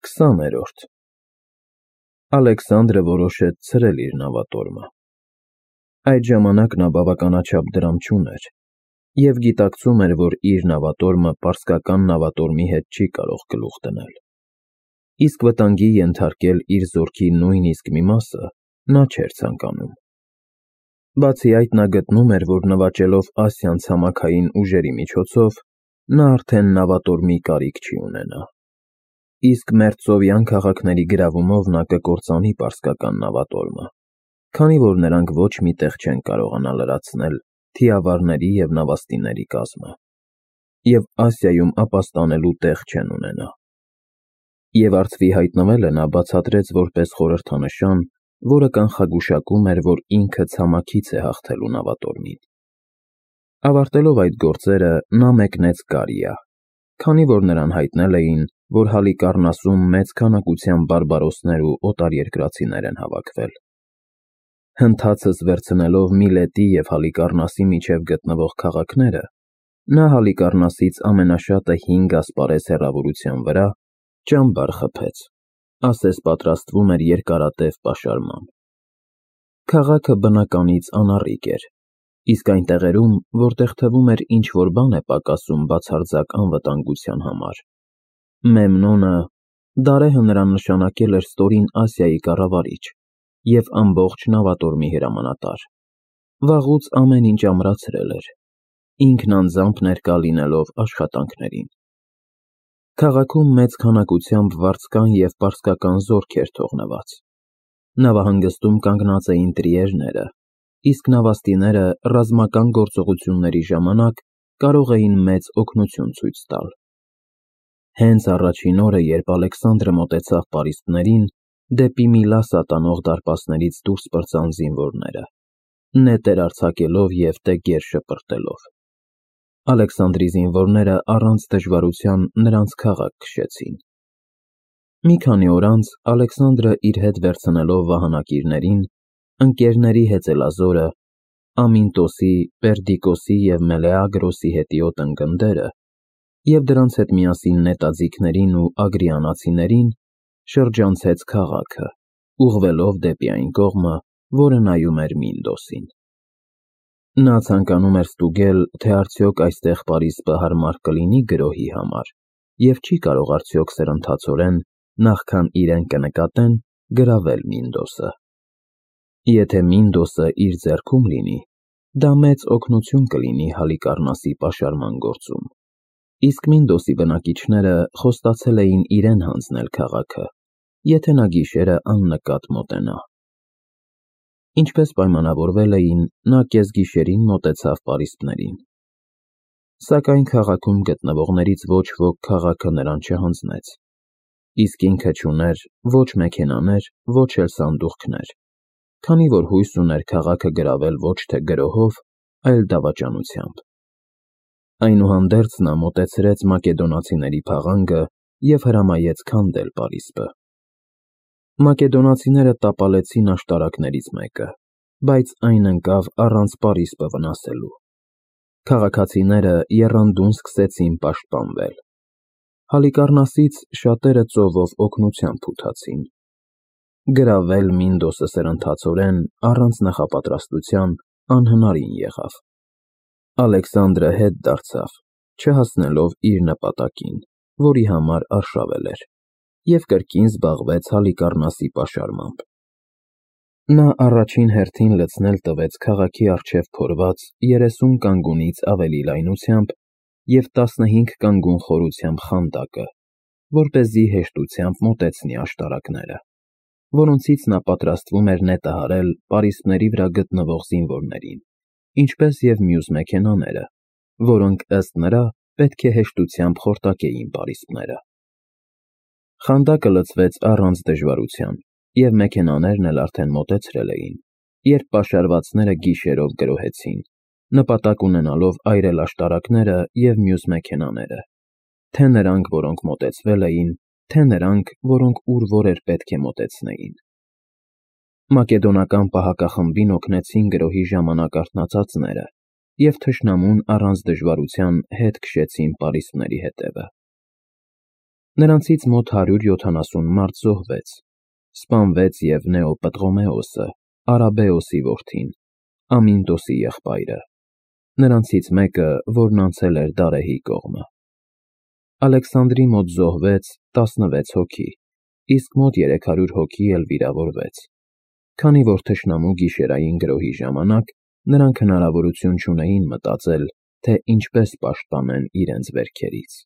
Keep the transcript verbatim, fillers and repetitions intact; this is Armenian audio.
Քսաներորդ Ալեքսանդրը որոշեց ցրել իր նավատորմը։ Այդ ժամանակ նա բավականաչափ դրամ չուներ և գիտակցում էր, որ իր նավատորմը պարսկական նավատորմի հետ չի կարող գլուխ դնել, իսկ վտանգի ենթարկել իր զորքի նույնիսկ մի մասը նա չէր ցանկանում։ Բացի այդ, նա գտնում էր, որ նվաճելով Ասիան ցամաքային ուժերի միջոցով, նա արդեն նավատորմի կարիք չի ունենա, իսկ մերձսովյան քաղաքների գրավումով նա կկործանի պարսկական նավատորմը, քանի որ նրանք ոչ մի տեղ չեն կարողանա լրացնել թիավարների և նավաստիների կազմը, և Ասիայում ապաստանելու տեղ չեն ունենա։ Եվ արծվի հայտնվելը նա բացատրեց որպես խորհրդանշան, որը կանխագուշակում էր, որ ինքը ցամաքից է հաղթելու նավատորմին։ Ավարտելով այդ գործերը, նա մեկնեց Կարիա, քանի որ նրան հայտնել էին, որ Հալիկառնասում մեծ քանակությամբ բարբարոսներ ու օտարերկրացիներ են հավաքվել։ Հնդհածս վերցնելով Միլետի և Հալիկառնասի միջև գտնվող քաղաքները, նա Հալիկառնասից ամենաշատը հինգ ասպարեզ հեռավորության վրա ճամբար խփեց, ասես պատրաստվում էր երկարատև պաշարման։ Քաղաքը բնականից անառիկ էր, իսկ այն տեղերում, որտեղ թվում էր ինչ-որ բան է պակասում բացարձակ անվտանգության համար, Մեմնոնը Դարեհը նրան նշանակել էր Ստորին Ասիայի կառավարիչ և ամբողջ նավատորմի հրամանատար, վաղուց ամեն ինչ ամրացրել էր, ինքն անձամբ ներկա լինելով աշխատանքներին։ Քաղաքում մեծ քանակությամբ վարձկան և պարսկական զորք էր թողնված։ Նավահանգստում կանգնած էին տրիերները, իսկ նավաստիները ռազմական գործողությունների ժամանակ կարող էին մեծ օգնություն ցույց տալ։ Հենց առաջին օրը, երբ Ալեքսանդրը մոտեցավ պարիսպներին, դեպի Միլասա տանող դարպասներից դուրս պրծան զինվորները, նետեր արձակելով և տեգեր շպրտելով։ Ալեքսանդրի զինվորները առանց դժվարության նրանց քաղաք քշեցին։ Մի քանի օր անց Ալեքսանդրը իր հետ վերցնելով վահանակիրներին, ընկերների հեծելազորը, Ամինտոսի, Պերդիկոսի և Մելեագրոսի հետիոտ ընկնդերը և դրանց հետ միասին նետաձիգներին ու ագրիանացիներին, շրջանցեց քաղաքը, ուղղվելով դեպի այն կողմը, որը նայում էր Մինդոսին։ Նա ցանկանում էր ստուգել, թե արդյոք այստեղ պարիսպը հարմար կլինի գրոհի համար և չի կարող արդյոք սրընթացորեն, նախքան իրեն կնկատեն, գրավել Մինդոսը։ Եթե Մինդոսը իր ձեռքում լինի, դա մեծ օգնություն կլինի Հալիկառնասի պաշարման գործում, իսկ Մինդոսի բնակիչները խոստացել էին իրեն հանձնել քաղաքը, եթե նա գիշերը աննկատ մոտենա։ Ինչպես պայմանավորվել էին, նա կեսգիշերին մոտեցավ պարիսպներին։ Սակայն քաղաքում գտնվողներից ոչ ոք քաղաքը նրան չհանձնեց, իսկ ինքը չուներ ոչ մեքենաներ, ոչ էլ սանդուղքներ, քանի որ հույս ուներ քաղաքը գրավել ոչ թե գրոհով, այլ դավաճանությամբ։ Այնուհանդերձ նա մոտեցրեց մակեդոնացիների փաղանգը և հրամայեց քանդել պարիսպը։ Մակեդոնացիները տապալեցին աշտարակներից մեկը, բայց այն ընկավ առանց պարիսպը վնասելու։ Քաղաքացիները եռանդուն սկսեցին պաշտպանվել։ Հալիկառնասից շատերը ծովով օգնության փութացին։ Գրավել Մինդոսը սրընթացորեն, առանց նախապատրաստության, անհնարին եղավ։ Ալեքսանդրը հետ դարձավ, չհասնելով իր նպատակին, որի համար արշավել էր, և կրկին զբաղվեց Հալիկառնասի պաշարմամբ։ Նա առաջին հերթին լցնել տվեց քաղաքի առջև փորված երեսուն կանգունից ավելի լայնությամբ և տասնհինգ կանգուն խորությամբ խանդակը, որպեսզի հեշտությամբ մոտեցնի աշտարակները, որոնցից նա պատրաստվում էր նետը հարել պարիսպների վրա գտնվող զինվորներին, ինչպես և մյուս մեքենաները, որոնք, ըստ նրա, պետք է հեշտությամբ խորտակեին պարիսպները։ Խանդակը լցվեց առանց դժվարության, և մեքենաներն էլ արդեն մոտեցրել էին, երբ պաշարվածները գիշերով գրոհեցին, նպատակ ունենալով այրել աշտարակները և մյուս մեքենաները, թե նրանք, որոնք մոտեցվել էին, թե նրանք, որոնք ուր որ էր պետք է մոտեցնեին։ Մակեդոնական պահակախմբին օգնեցին գրոհի ժամանակ արթնացածները և թշնամուն առանց դժվարության հետ քշեցին պարիսպների հետևը։ Նրանցից մոտ հարյուր յոթանասուն մարդ զոհվեց, սպանվեց և Նեոպտղոմեոսը, Արաբեոսի որդին, Ամինտոսի եղբայրը, նրանցից մեկը, որն անցել էր Դարեհի կողմը։ Ալեքսանդրի մոտ զոհվեց տասնվեց հոգի, իսկ մոտ երեք հարյուր հոգի էլ վիրավորվեց, քանի որ թշնամու գիշերային գրոհի ժամանակ նրանք հնարավորություն չունեին մտածել, թե ինչպես պաշտպանեն իրենց վերքերից։